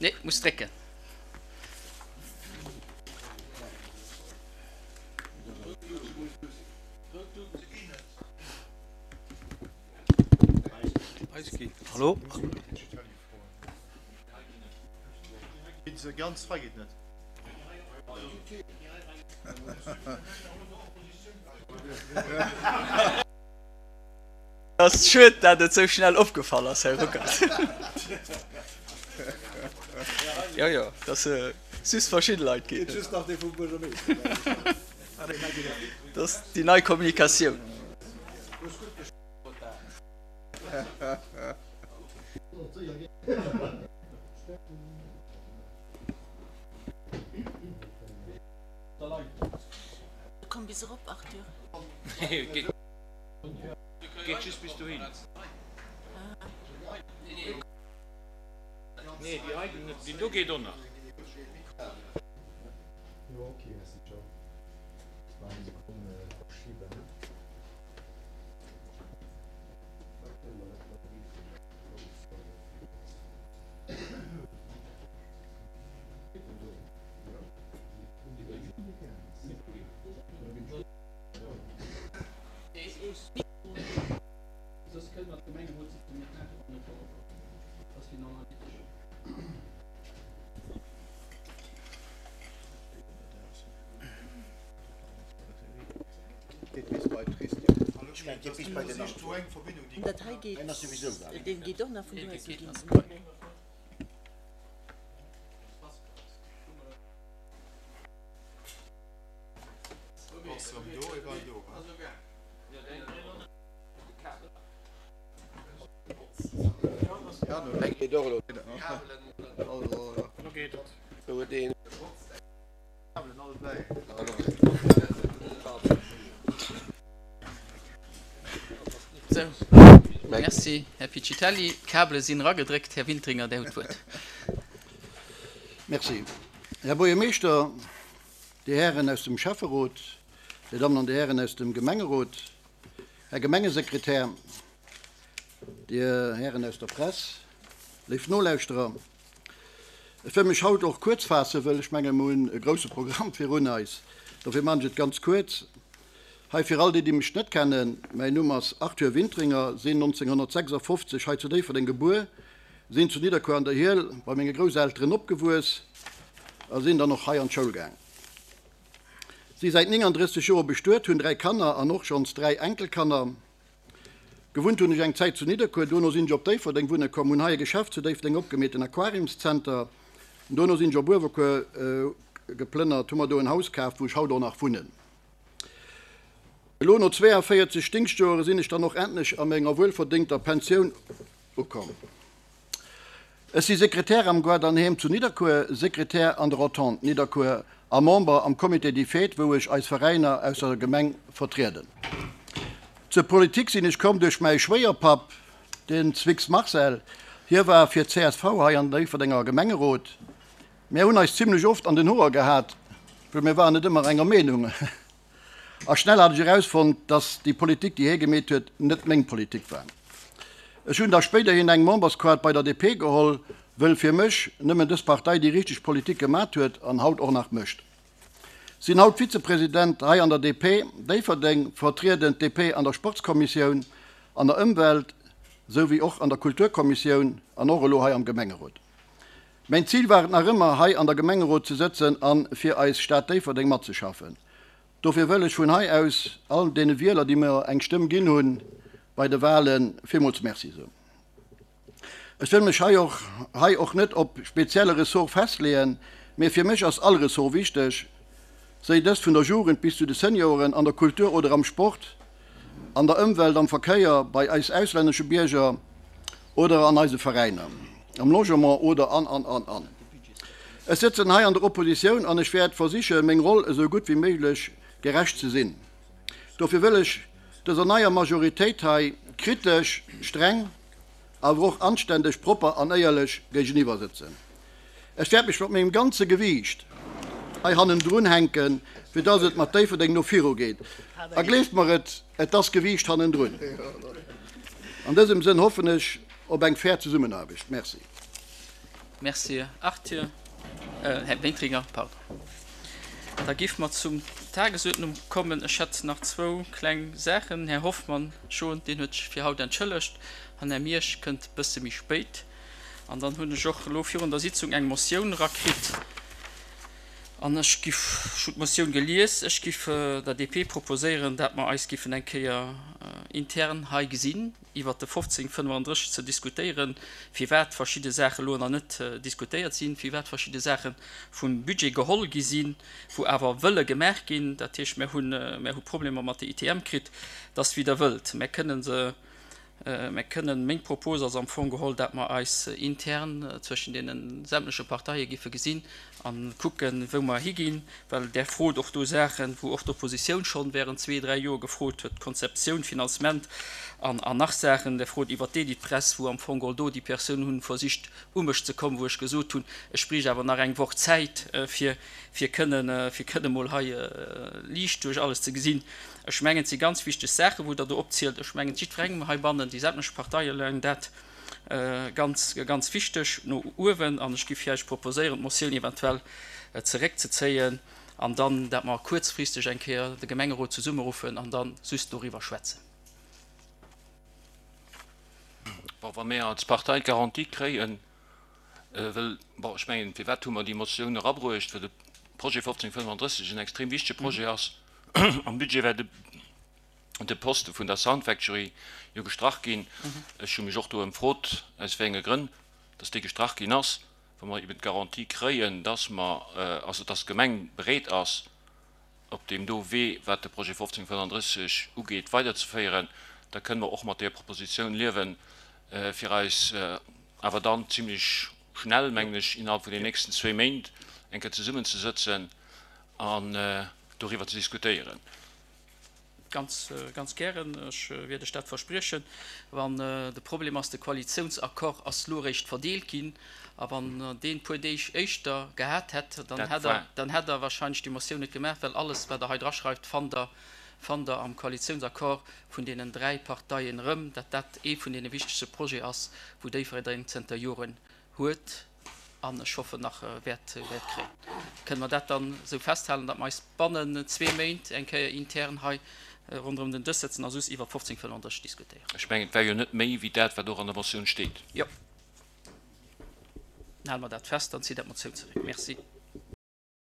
Nee, muss drécken. Hallo? Ass schued dat et sou schnell opgefall ass, Här Ruckert. Jo jo, dass just verschidde Leit ginn. Dat ass déi nei Kommunikatioun. Komm bis erop, Arthur. Geet just bis dohin. Nee, déi hei ginn net. Deen do geet och nach. Dat hei geet, deen geet och nach vun do aus ginn. Sou, merci, Här Piccitelli. D'Kabele sinn eragedréckt. Här Wintringer, Dir hutt d'Wuert. Merci, Här Buergermeeschter, Dir Hären aus dem Schäfferot, Dir Dammen an Dir Hären aus dem Gemengerot, Här Gemengesekretär, Dir Hären aus der Press, léif Nolauschterer. Ech wëll mech haut och kuerz faassen, wëll ech menge mer hunn e grousse Programm virun eis. Dofir maachen ech et ganz kuerz. Hei fir all déi, déi mech net kennen, Mäin Numm ass Arthur Wintringer, sinn 1956 hei zu Déifferdeng gebuer, sinn zu Nidderkuer an der Hiel bei menge Grousselteren opgewuess a sinn dann och hei an d'Schoul gaang. Si säit 39 Joer bestuet, hunn 3 Kanner an och schonns 3 Enkelkanner. Gewunnt hunn ech eng Zäit zu Nidderkuer, dono sinn ech op Déifferdeng wunne komm, hunn hei e Geschäft zu Déifferdeng opgemeet, den Aquariumszenter. Dono sinn ech op Uewerkuer geplënnert, hu mer do en Haus kaaft, wou ech haut och nach wunnen. Elo no 42 Dingschtjoere sinn ech dann och endlech a menger wuelverdéngter Pensioun ukomm. Ech si Sekretär am Guardanheem zu Nidderkuer, Sekretär an der Entente Nidderkuer a Member am Comité des Fêtes, wou ech eis Veräiner aus der Gemeng vertrieden. Zur Politik sinn ech komm duerch mäi Schwéierpapp, den Zwicks Marcel. Hie war fir csv hei an Déifferdenger Gemengerot. Mär hunn eis zimlech oft an den Hoer gehat, well mir waren net ëmmer enger Meenung. A schnell hat ech erausfonnt, dass déi Politik, déi hie gemeet huet, net meng Politik war. Ech hunn da spéiderhin eng Memberskaart bei der DP geholl, wëll fir mech nëmmen dës Partei déi richteg Politik gemat huet an haut och nach mécht. Sinn haut Vizepresident hei an der DP Déifferdeng, vertrieden d'DP an der Sportskommissioun, an der Ëmwelt sou wéi och an der Kulturkommissioun an och elo hei am Gemengerot. Mäin Zil war et nach ëmmer, hei an der Gemengerot ze sëtzen an fir eis Stad Déifferdeng matzeschaffen. Dofir wëll ech vun hei aus all deene Wieler, déi mir eng Stëmm ginn hunn bei de Wahlen, villmools Merci soen. Ech wëll mech hei och hei och net op spezielle Ressort festleeën, mee fir mech ass all Ressort wichteg, séi dëst vun der Jugend bis zu de Senioren, an der Kultur oder am Sport. an der Ëmwelt, am Verkéier, bei eis auslännesche Bierger oder an eise Veräiner, am Logement oder an, an, an, an. Ech sëtzen hei an der Oppositioun an ech wäert versiche meng Roll esou gutt wéi méiglech gerecht ze sinn. Dofir wëll ech dëser neier Majoritéit hei kritesch, streng, awer och anständeg, propper an éierlech géigeniwwer sëtzen. Ech wäert mech mat mengem ganze Gewiicht hei hannendrun hänken, fir dass et mat Déifferdeng no viru geet. A gleeft mer et, et ass Gewiicht hannendrun. An dësem Sënn hoffen ech op eng fair Zesummenaarbecht. Merci. Merci Arthur, Här Wintringer, pardon. Da géife mer zum Tagesuerdnung kommen. Ech hätt nach zwou kleng Saachen. Här Hoffmann schon, deen huet sech fir haut entschëllegt, an Här Miersch kënnt e bësse méi spéit. An dann hunn ech och elo virun der Sitzung eng Motioun erakritt. An ech giff, ech hunn d'Motioun gelies, ech giff der DP proposéieren, dat mer eis giffen eng Kéier intern hei gesinn, iwwert de 1535 ze diskutéieren, firwat verschidde Saache lo nach net diskutéiert sinn, firwat verschidde Saache vum Budget geholl gi sinn, wou awer wëlle gemaach ginn. Dat heescht, mer hunn, mer hu Problemer mat de ITM kritt, dass, wéi Der wëllt, mer kënnen se, mer kënnen, meng Propos ass am Fong geholl, dat mer eis intern zwëschen deene sämtleche Parteie giffe gesinn a kucken, wou mer higinn, well Der frot och do Saachen, wou och d'Oppositioun schonn während zwee, dräi Joer gefrot huet, Konzeptioun, Finanzement an nach Saachen. Der frot iwwert d'Editpress, wou am Fong geholl do déi Persoun hunn versicht u mech ze kommen, wou ech gesot hunn, ech bräicht awer nach eng Woch Zäit, fir fir kënnen fir kënne mol hei liicht duerch alles ze gesinn. Ech mengen, et si ganz wichteg Saachen, wou Der do opzielt. Ech mengen, jiddwerengem heibannen, déi sämtlech Parteie leien dat Ganz, ganz wichteg no uewen. An ech géif Iech proposéieren, d'Motioun eventuell zeréckzezéien an dann, dat mer kuerzfristeg eng Kéier de Gemengerot zesummeruffen an da just doriwwer schwätzen. Bon, wa mir als Partei d'Garantie kréien, well, bon, ech mengen, firwat hu mer déi Motioun erabruecht? Well de Projet 1535 en extrem wichtege Projet ass. Am Budget war de. de Poste vun der Sound Factory jo gestrach ginn. Ech hu mech och do ëmfrot, aus wéi enge Grënn dass dee gestrach ginn ass. Wa mer eben d'Garantie kréien, dass mer, also dass d'Gemeng bereet ass, op deem do Wee, wat de Projet 1535 ugeet, weiderzeféieren, da kënne mer och mat deer Propositioun liewen, fir eis awer dann zimlech schnell, mengen ech, innerhalb vun den nächsten zwéi Méint eng Kéier zesummenzesëtzen an doriwwer ze diskutéieren. Ganz, ganz gären. Ech wäert Iech dat verspriechen. Wann de Problem ass, de Koalitiounsaccord ass elo eréischt verdeelt ginn, a wann Der deen e puer Deeg éischter gehat hätt, dann hätt Der, dann hätt Der wahrscheinlech déi Motioun net gemaach, well alles, wat Der hei draschreift, fannt Der, fannt Der am Koalitiounsaccord vun deenen dräi Parteien erëm, dat dat ee vun deene wichtegste Projete ass, wou Déifferdeng zënter Joren huet an ech hoffen nach wäert kréien. Kënne mer dat dann esou festhalen, datt mer eis bannen zwee Méint eng Kéier intern hei ronderëm den Dësch sëtzen a soss iwwer 1535 diskutéieren? Ech mengen, et war jo net méi wéi dat, wat och an der Motioun steet. Jo. Dann hale mer dat fest, dann zitt Der d'Motioun zeréck. Merci.